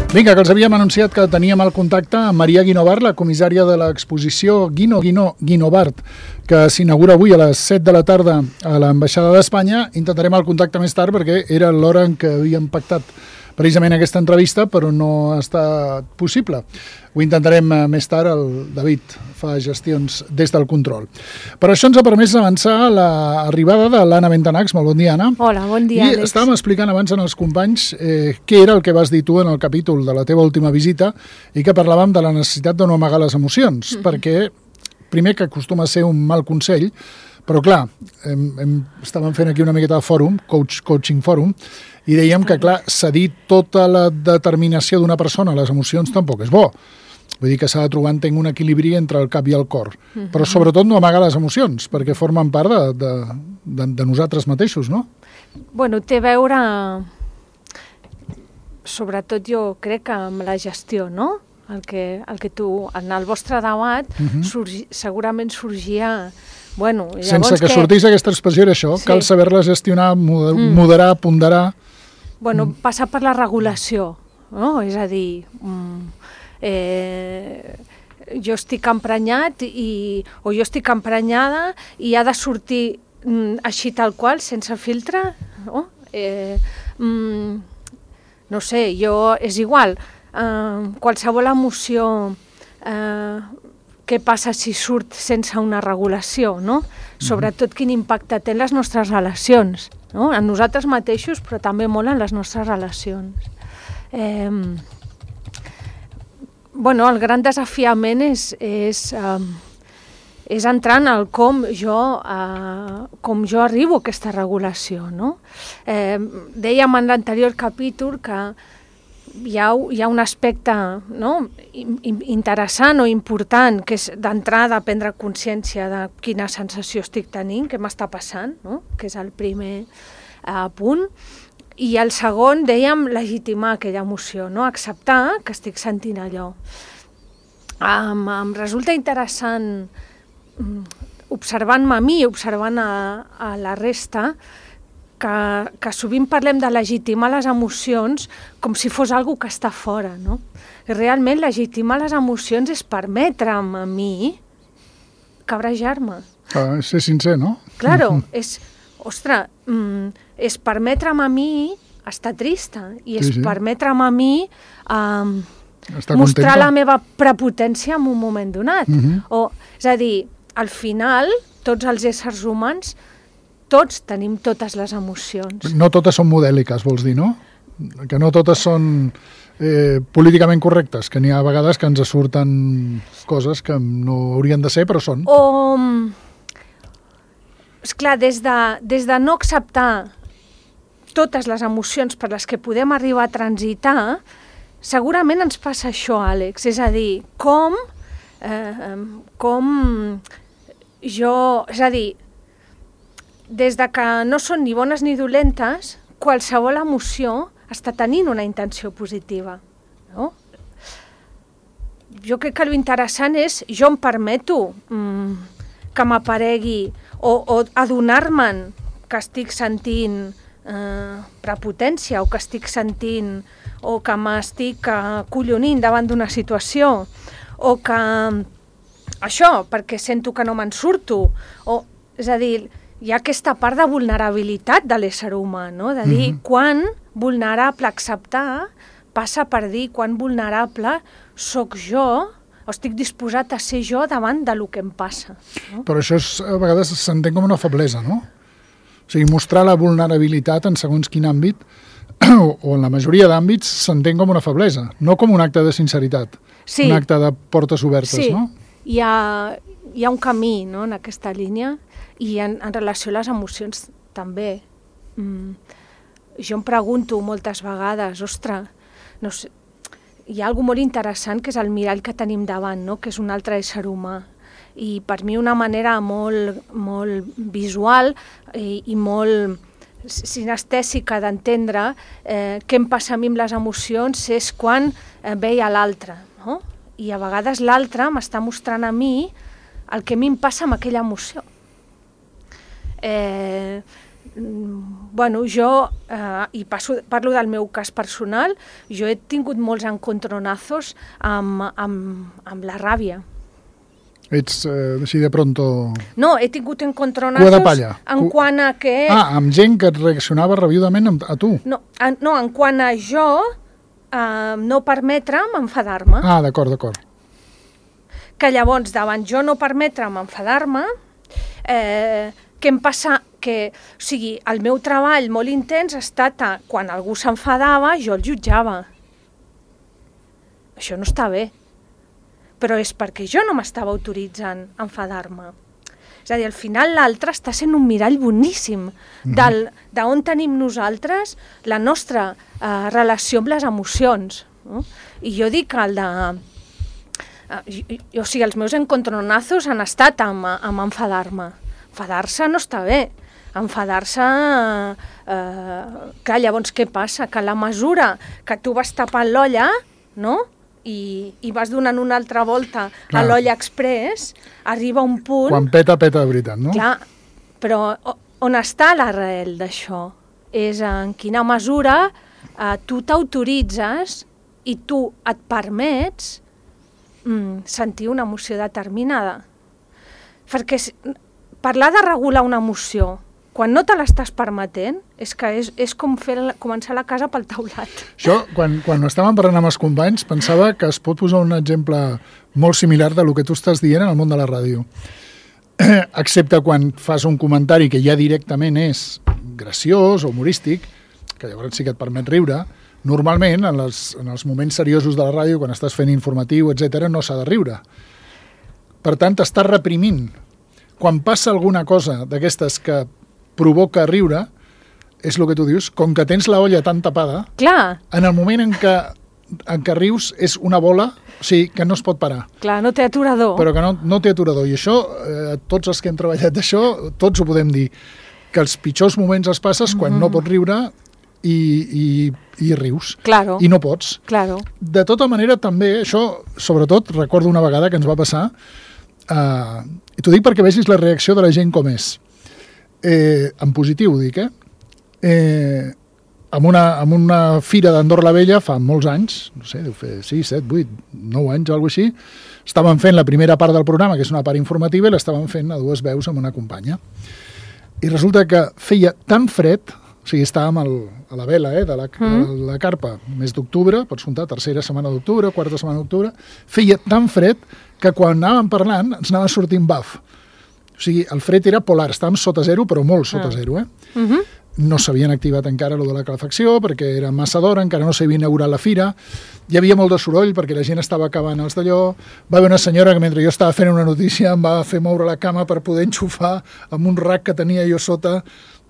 Vinga, que els havíem anunciat que teníem el contacte amb Maria Guinovart, la comissària de l'exposició Guinovart, que s'inaugura avui a les 7 de la tarda a l'Ambaixada d'Espanya. Intentarem el contacte més tard perquè era l'hora en què havíem pactat precisament aquesta entrevista, però no ha estat possible. Ho intentarem més tard, el David fa gestions des del control. Per això ens ha permès avançar l'arribada de l'Anna Bentanacs. Molt bon dia, Anna. Hola, bon dia, Àlex. I estàvem explicant abans als companys què era el que vas dir tu en el capítol de la teva última visita i que parlàvem de la necessitat de no amagar les emocions, perquè primer que acostuma a ser un mal consell, però clar, estàvem fent aquí una miqueta de fòrum, coaching fòrum, i dèiem que, clar, cedir tota la determinació d'una persona a les emocions tampoc és bo. Vull dir que s'ha de trobar, entenc, un equilibri entre el cap i el cor. Però sobretot no amagar les emocions, perquè formen part de nosaltres mateixos, no? Bueno, té a veure, sobretot jo crec que amb la gestió, no? El que tu, en el vostre debat, segurament sorgia... Bueno, sense que sortís aquesta expressió era això, sí. Cal saber-la gestionar, moderar, ponderar... Bueno, passar per la regulació, no? És a dir, jo estic emprenyat o jo estic emprenyada i ha de sortir així tal qual, sense filtre, no? No sé, és igual, qualsevol emoció... què passa si surt sense una regulació, no? Sobretot quin impacte té en les nostres relacions, no? En nosaltres mateixos, però també molt en les nostres relacions. Bueno, el gran desafiament és entrar en el com jo arribo a aquesta regulació, no? Dèiem en l'anterior capítol que hi ha un aspecte, no, interessant o important, que és d'entrada prendre consciència de quina sensació estic tenint, què m'està passant, no? Que és el primer punt. I el segon, dèiem, legitimar aquella emoció, no? Acceptar que estic sentint allò. Em resulta interessant, observant-me a mi i observant a la resta, que sovint parlem de legitimar les emocions com si fos algo que està fora, no? I realment legitimar les emocions és permetre'm a mi cabrejar-me. Ser sincer, no? Claro, és permetre'm a mi estar trista i és permetre'm a mi mostrar la meva prepotència en un moment donat. És a dir, al final, tots els éssers humans tots tenim totes les emocions. No totes són modèliques, vols dir, no? Que no totes són políticament correctes, que n'hi ha vegades que ens surten coses que no haurien de ser, però són. Esclar, des de no acceptar totes les emocions per les que podem arribar a transitar, segurament ens passa això, Àlex. És a dir, des de que no són ni bones ni dolentes, qualsevol emoció està tenint una intenció positiva, no? Jo crec que l'interessant és, jo em permeto que m'aparegui o adonar-me'n que estic sentint prepotència o que estic sentint o que m'estic acollonint davant d'una situació o que això, perquè sento que no me'n surto, és a dir, hi ha aquesta part de vulnerabilitat de l'ésser humà, no? De dir quan vulnerable acceptar passa per dir quan vulnerable sóc jo o estic disposat a ser jo davant del que em passa. No? Però això a vegades s'entén com una feblesa, no? O sigui, mostrar la vulnerabilitat en segons quin àmbit o en la majoria d'àmbits s'entén com una feblesa, no com un acte de sinceritat, un acte de portes obertes, no? Hi ha un camí, no?, en aquesta línia. I en relació a les emocions també. Jo em pregunto moltes vegades, no sé, hi ha alguna molt interessant que és el mirall que tenim davant, no? Que és un altre ésser humà. I per mi una manera molt, molt visual i molt sinestèsica d'entendre què em passa a mi amb les emocions és quan veia l'altre, no? I a vegades l'altre m'està mostrant a mi el que a mi em passa amb aquella emoció. Bueno, jo, i parlo del meu cas personal, jo he tingut molts encontronazos amb la ràbia. Ets així de pronto... No, he tingut Cua de encontronazos palla. en quant a que... amb gent que et reaccionava rabiudament a tu. No, en quant a jo no permetre'm enfadar-me. D'acord. Que llavors, davant jo no permetre'm enfadar-me, què em passa? O sigui, el meu treball molt intens ha estat quan algú s'enfadava, jo el jutjava. Això no està bé. Però és perquè jo no m'estava autoritzant a enfadar-me. És a dir, al final l'altre està sent un mirall boníssim d'on tenim nosaltres la nostra relació amb les emocions. No? I jo dic que o sigui, els meus encontronazos han estat amb enfadar-me. Enfadar-se no està bé. Enfadar-se... clar, llavors què passa? Que a la mesura que tu vas tapant l'olla, no?, i vas donant una altra volta a l'olla express, arriba un punt... Quan peta de veritat, no? Clar, però on està l'arrel d'això? És en quina mesura tu t'autoritzes i tu et permets sentir una emoció determinada. Perquè parlar de regular una emoció quan no te l'estàs permetent, és que és com començar la casa pel taulat. Això, quan estàvem parlant amb els companys, pensava que es pot posar un exemple molt similar de lo que tu estàs dient en el món de la ràdio. Excepte quan fas un comentari que ja directament és graciós o humorístic, que llavors sí que et permet riure, normalment, en els moments seriosos de la ràdio, quan estàs fent informatiu, etc., no s'ha de riure. Per tant, t'estàs reprimint. Quan passa alguna cosa d'aquestes que provoca riure, és el que tu dius, com que tens la olla tan tapada, clar, en el moment en què rius és una bola, o sigui, que no es pot parar. Clar, no té aturador. Però que no té aturador. I això, tots els que hem treballat d'això, tots ho podem dir, que els pitjors moments els passes quan no pots riure i rius. Claro. I no pots. Claro. De tota manera, també, això, sobretot, recordo una vegada que ens va passar, i t'ho dic perquè vegis la reacció de la gent com és. En positiu, dic, amb una fira d'Andorra la Vella fa molts anys, no sé, deu fer 6, 7, 8, 9 anys o alguna cosa així, estàvem fent la primera part del programa, que és una part informativa, i l'estàvem fent a dues veus amb una companya. I resulta que feia tan fred, o sigui, estàvem a la vela de la carpa, mes d'octubre, pots comptar, tercera setmana d'octubre, quarta setmana d'octubre, feia tan fred que quan anàvem parlant ens anava sortint baf. O sigui, el fred era polar, estàvem sota zero, però molt sota zero, No s'havien activat encara lo de la calefacció, perquè era massa d'hora, encara no s'havia inaugurat la fira, hi havia molt de soroll perquè la gent estava acabant els d'allò, va haver una senyora que mentre jo estava fent una notícia em va fer moure la cama per poder enxufar amb un rack que tenia jo sota,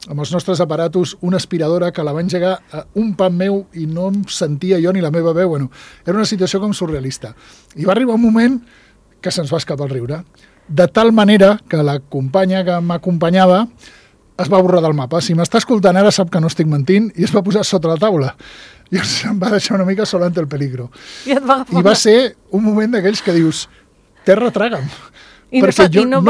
amb els nostres aparatos, una aspiradora que la va engegar a un pan meu i no em sentia jo ni la meva veu. Bueno, era una situació com surrealista. I va arribar un moment que se'ns va escapar el riure. De tal manera que la companya que m'acompanyava es va borrar del mapa. Si m'està escoltant ara sap que no estic mentint i es va posar sota la taula. I em va deixar una mica sol ante el peligro. I va ser un moment d'aquells que dius, terra traga'm. Perquè jo no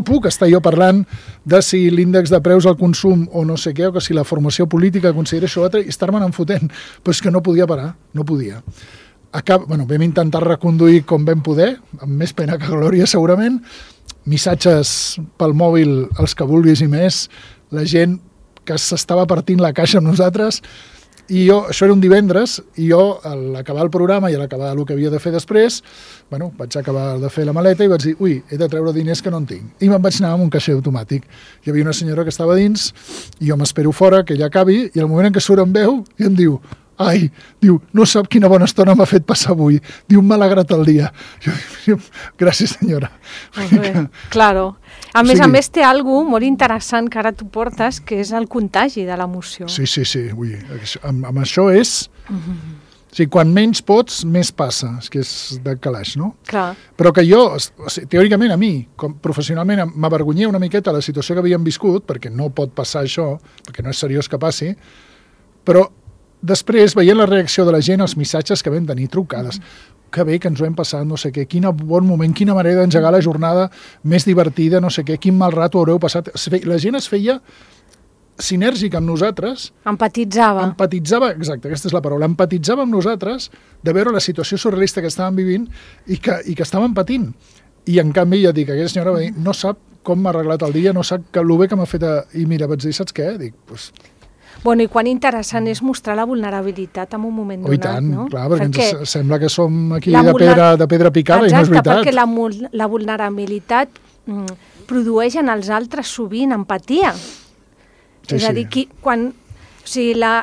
puc estar jo parlant de si l'índex de preus al consum o no sé què, o que si la formació política considera això altre, i estar-me'n enfotent. Però és que no podia parar, no podia. Vam intentar reconduir com vam poder, amb més pena que glòria segurament, missatges pel mòbil, els que vulguis i més, la gent que s'estava partint la caixa amb nosaltres, i això era un divendres, i jo, a l'acabar el programa i a l'acabar el que havia de fer després, vaig acabar de fer la maleta i vaig dir, he de treure diners que no en tinc. I me'n vaig anar amb un caixer automàtic. Hi havia una senyora que estava dins, i jo m'espero fora, que ella acabi, i al moment en què surt em veu, i em diu, no sap quina bona estona m'ha fet passar avui. Diu, m'ha alegrat el dia. Jo dic, gràcies, senyora. Claro. A més, té alguna molt interessant que ara tu portes, que és el contagi de l'emoció. Sí. Amb això és... O sigui, quan menys pots, més passa. És que és de calaix, no? Clar. Però que jo, teòricament, a mi, professionalment, m'avergonyia una miqueta la situació que havíem viscut, perquè no pot passar això, perquè no és seriós que passi, però després, veient la reacció de la gent, els missatges que vam tenir, trucades, que bé que ens ho hem passat, no sé què, quin bon moment, quina manera d'engegar la jornada més divertida, no sé què, quin mal rato haureu passat. La gent es feia sinèrgic amb nosaltres. Empatitzava. Exacte, aquesta és la paraula. Empatitzava amb nosaltres de veure la situació surrealista que estàvem vivint i que estàvem patint. I en canvi, ja dic, aquella senyora va dir, no sap com m'ha arreglat el dia, no sap el bé que m'ha fet... I mira, vaig dir, saps què? Dic, doncs... Bueno, i quan interessant és mostrar la vulnerabilitat en un moment donat, i tant, no? Clar, perquè ens sembla que som aquí de pedra picada. Exacte, i no és veritat. Perquè la vulnerabilitat produeix en els altres sovint empatia. Sí, és a dir,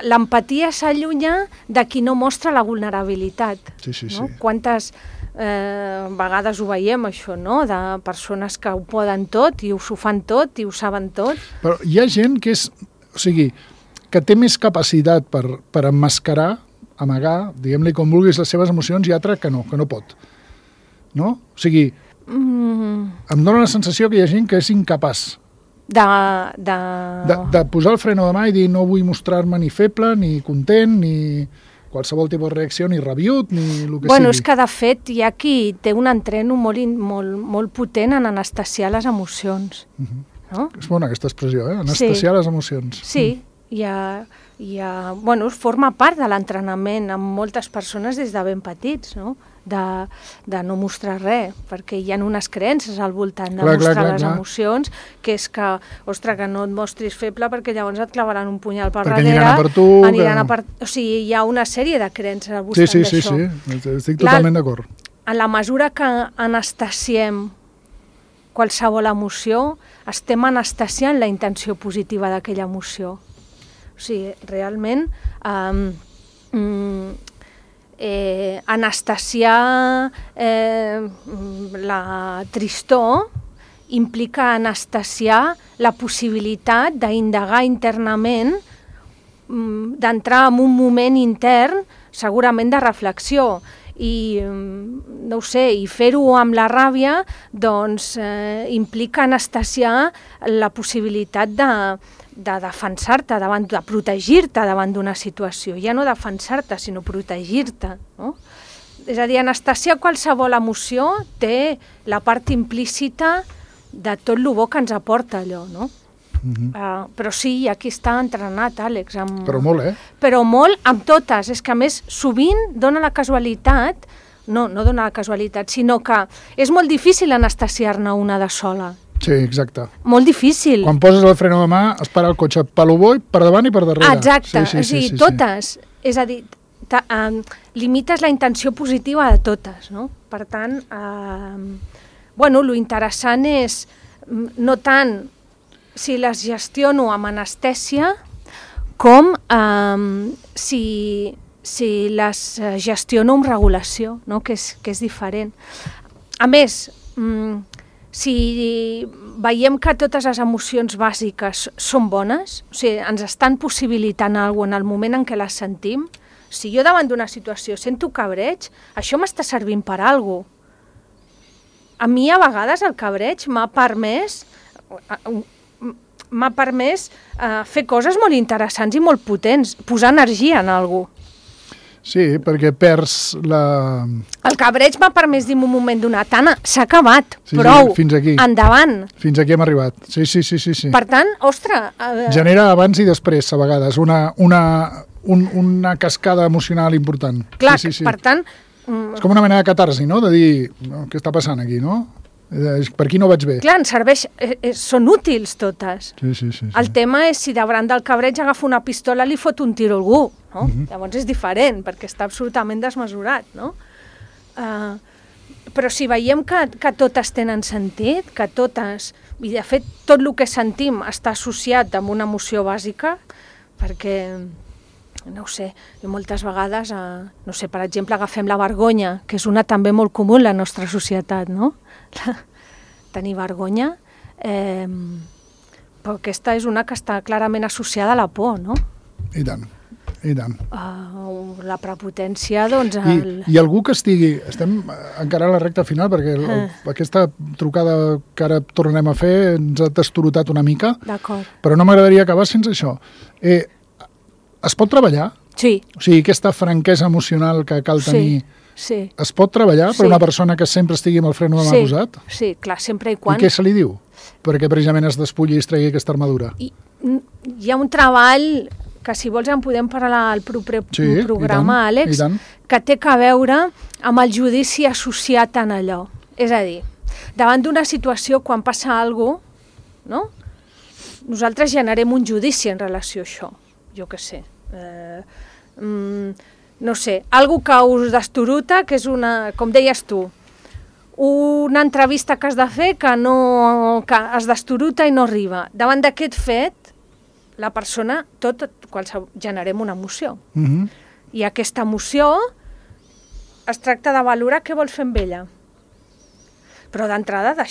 l'empatia s'allunya de qui no mostra la vulnerabilitat. Sí. Quantes vegades ho veiem, això, no? De persones que ho poden tot i ho fan tot i ho saben tot. Però hi ha gent que és... O sigui, que té més capacitat per emmascarar, amagar, diguem-li com vulguis, les seves emocions, i altra que no pot. No? O sigui, em dóna la sensació que hi ha gent que és incapaç de posar el freno de mà i dir no vull mostrar-me ni feble, ni content, ni qualsevol tipus de reacció, ni rabiut, ni el que sigui. Bueno, és que de fet hi ha qui té un entreno molt potent en anestesiar les emocions. No? És bona aquesta expressió, anestesiar les emocions. Sí, bueno, forma part de l'entrenament amb moltes persones des de ben petits, no? De no mostrar res, perquè hi ha unes creences al voltant de mostrar les emocions, que és que, ostres, que no et mostris feble perquè llavors et clavaran un punyal per darrere. Perquè aniran a per tu. O sigui, hi ha una sèrie de creences al voltant d'això. Sí, estic totalment d'acord. En la mesura que anestesiem qualsevol emoció, estem anestesiant la intenció positiva d'aquella emoció. O sigui, realment, anestesiar la tristor implica anestesiar la possibilitat d'indagar internament, d'entrar en un moment intern, segurament de reflexió. I no ho sé, i fer-ho amb la ràbia doncs implica anestesiar la possibilitat de defensar-te, de protegir-te davant d'una situació. Ja no defensar-te, sinó protegir-te, no? És a dir, anestesiar qualsevol emoció té la part implícita de tot el bo que ens aporta allò, no? Però sí, aquí està entrenat, Àlex. Però molt, Però molt, amb totes. És que, a més, sovint dona la casualitat, no dona la casualitat, sinó que és molt difícil anestesiar-ne una de sola. Sí, exacte. Molt difícil. Quan poses el freno de mà, es para el cotxe per lo bo i per davant i per darrere. Exacte, sí, totes. És a dir, limites la intenció positiva de totes, no? Per tant, bueno, lo interessant és no tant si les gestiono amb anestèsia com si les gestiono amb regulació, no? Que és diferent. A més, si veiem que totes les emocions bàsiques són bones, o sigui, ens estan possibilitant alguna cosa en el moment en què les sentim, si jo davant d'una situació sento cabreig, això m'està servint per alguna cosa. A mi a vegades el cabreig m'ha permès fer coses molt interessants i molt potents, posar energia en alguna cosa. Sí, perquè perds la... El cabreig m'ha permès dir en un moment donat, Anna, s'ha acabat, prou, fins aquí. Endavant. Fins aquí hem arribat, sí. Per tant, ostres... Genera abans i després, a vegades, una cascada emocional important. Clar, per tant... És com una mena de catarsi, no?, de dir, què està passant aquí, no?, per aquí no vaig bé. Clar, ens serveix, són útils totes. Sí. El tema és si davant del cabreig agafa una pistola i li fot un tiro a algú, no? Llavors és diferent, perquè està absolutament desmesurat, no? Però si veiem que totes tenen sentit, que totes, i de fet tot el que sentim està associat amb una emoció bàsica, perquè, no ho sé, moltes vegades, no sé, per exemple, agafem la vergonya, que és una també molt comú en la nostra societat, no? Tenir vergonya, però aquesta és una que està clarament associada a la por, no? I tant. La prepotència, doncs... I algú que estigui... Estem encara a la recta final, perquè aquesta trucada que ara tornarem a fer ens ha destorotat una mica, però no m'agradaria acabar sense això. Es pot treballar? Sí. O sigui, aquesta franquesa emocional que cal tenir... Sí. Es pot treballar per una persona que sempre estigui amb el freno de mà posat? Sí, clar, sempre i quan... I què se li diu? Perquè precisament es despulli i es tregui aquesta armadura. hi ha un treball que si vols en podem parlar al proper programa, Àlex, que té a veure amb el judici associat en allò. És a dir, davant d'una situació, quan passa alguna cosa, no? Nosaltres generem un judici en relació a això, jo què sé. No sé, algo que us destoruta, que és una, com deies tu, una entrevista que has de fer que es destoruta i no arriba. Davant d'aquest fet, la persona, generem una emoció. I aquesta emoció es tracta de valorar què vols fer amb ella. Però d'entrada,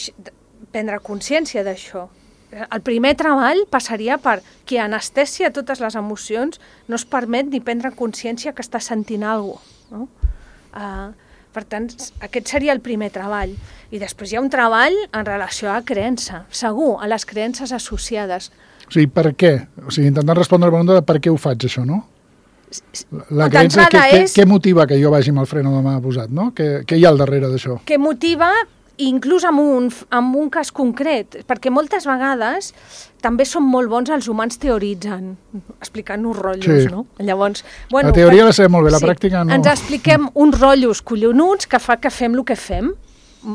prendre consciència d'això. El primer treball passaria per qui anestesia totes les emocions, no es permet ni prendre consciència que està sentint alguna cosa. No? Per tant, aquest seria el primer treball. I després hi ha un treball en relació a creença, segur, a les creences associades. O sigui, per què? O sigui, intentant respondre a la pregunta de per què ho faig, això, no? La creença, què motiva que jo vagi amb el freno de mà posat, no? Què hi ha al darrere d'això? Què motiva, inclús en un cas concret, perquè moltes vegades també són molt bons els humans teoritzant, explicant-nos rotllos, no? Llavors, la teoria la sabem molt bé, la pràctica no. Ens expliquem uns rotllos collonuts que fa que fem el que fem.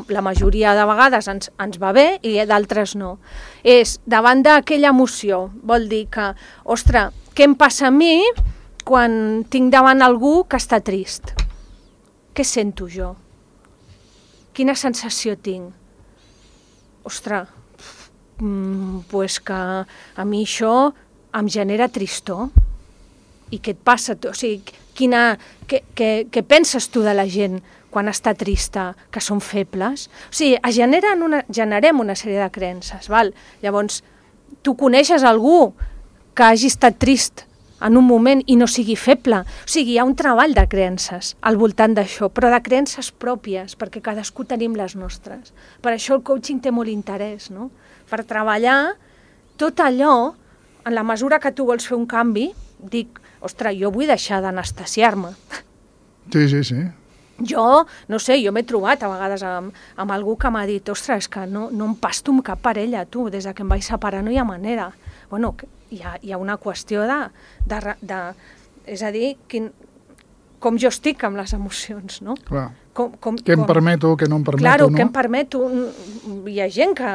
La majoria de vegades ens va bé i d'altres no. És davant d'aquella emoció, vol dir que, ostres, què em passa a mi quan tinc davant algú que està trist? Què sento jo? Quina sensació tinc? Ostres, pues que a mi això em genera tristor. I què et passa? O sigui, què penses tu de la gent quan està trista, que són febles? O sigui, generem una sèrie de creences, val? Llavors, tu coneixes algú que hagi estat trist en un moment i no sigui feble. O sigui, hi ha un treball de creences al voltant d'això, però de creences pròpies, perquè cadascú tenim les nostres. Per això el coaching té molt interès, no? Per treballar tot allò, en la mesura que tu vols fer un canvi, dic, ostres, jo vull deixar d'anestesiar-me. Sí. Jo, no sé, jo m'he trobat a vegades amb algú que m'ha dit, ostres, és que no em pasto amb cap parella, tu, des que em vaig separar no hi ha manera. Bueno, hi ha una qüestió és a dir, com jo estic amb les emocions, no? Clar. Què em permeto, què no em permeto, claro, no? Què em permeto. Hi ha gent que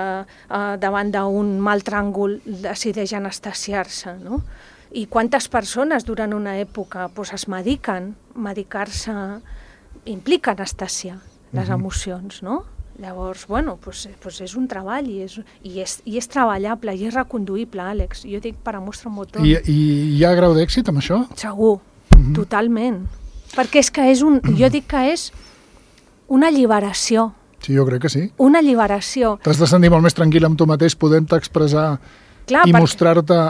davant d'un mal tràngol decideix anestesiar-se, no? I quantes persones durant una època es mediquen, medicar-se implica anestesiar les emocions, no? Llavors, bueno, és un treball i és treballable i és reconduïble, Àlex. Jo dic per a mostra un motor. I hi ha grau d'èxit amb això? Segur, totalment. Perquè és que jo dic que és una alliberació. Sí, jo crec que sí. Una alliberació. T'has de sentir molt més tranquil amb tu mateix, podent-te expressar i mostrar-te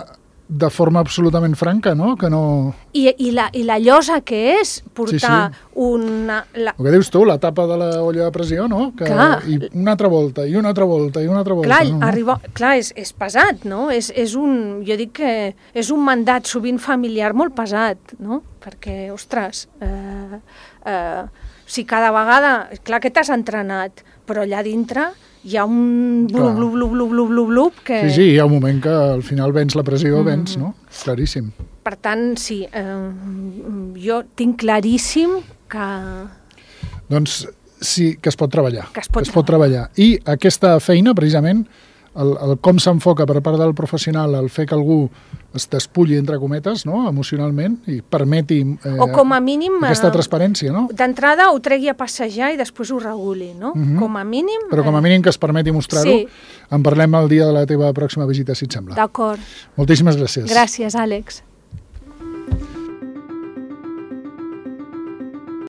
de forma absolutament franca, no? Que no... I la llosa que és portar una... El que dius tu, la tapa de la olla de pressió, no? I una altra volta, i una altra volta, i una altra volta. Clar, clar, és pesat, no? Jo dic que és un mandat sovint familiar molt pesat, no? Perquè, ostres, si cada vegada... Clar que t'has entrenat, però allà dintre hi ha un blub que... Sí, hi ha un moment que al final vens la pressió, vens, no? Claríssim. Per tant, sí, jo tinc claríssim que... Doncs sí, que es pot treballar. Que es pot treballar. I aquesta feina, precisament, el com s'enfoca per part del professional, el fer que algú es despulli, entre cometes, no? Emocionalment, i permeti o com a mínim, aquesta transparència, no? D'entrada ho tregui a passejar i després ho reguli, no? Com a mínim... Però com a mínim que es permeti mostrar-ho. Sí. En parlem el dia de la teva pròxima visita, si et sembla. D'acord. Moltíssimes gràcies. Gràcies, Àlex.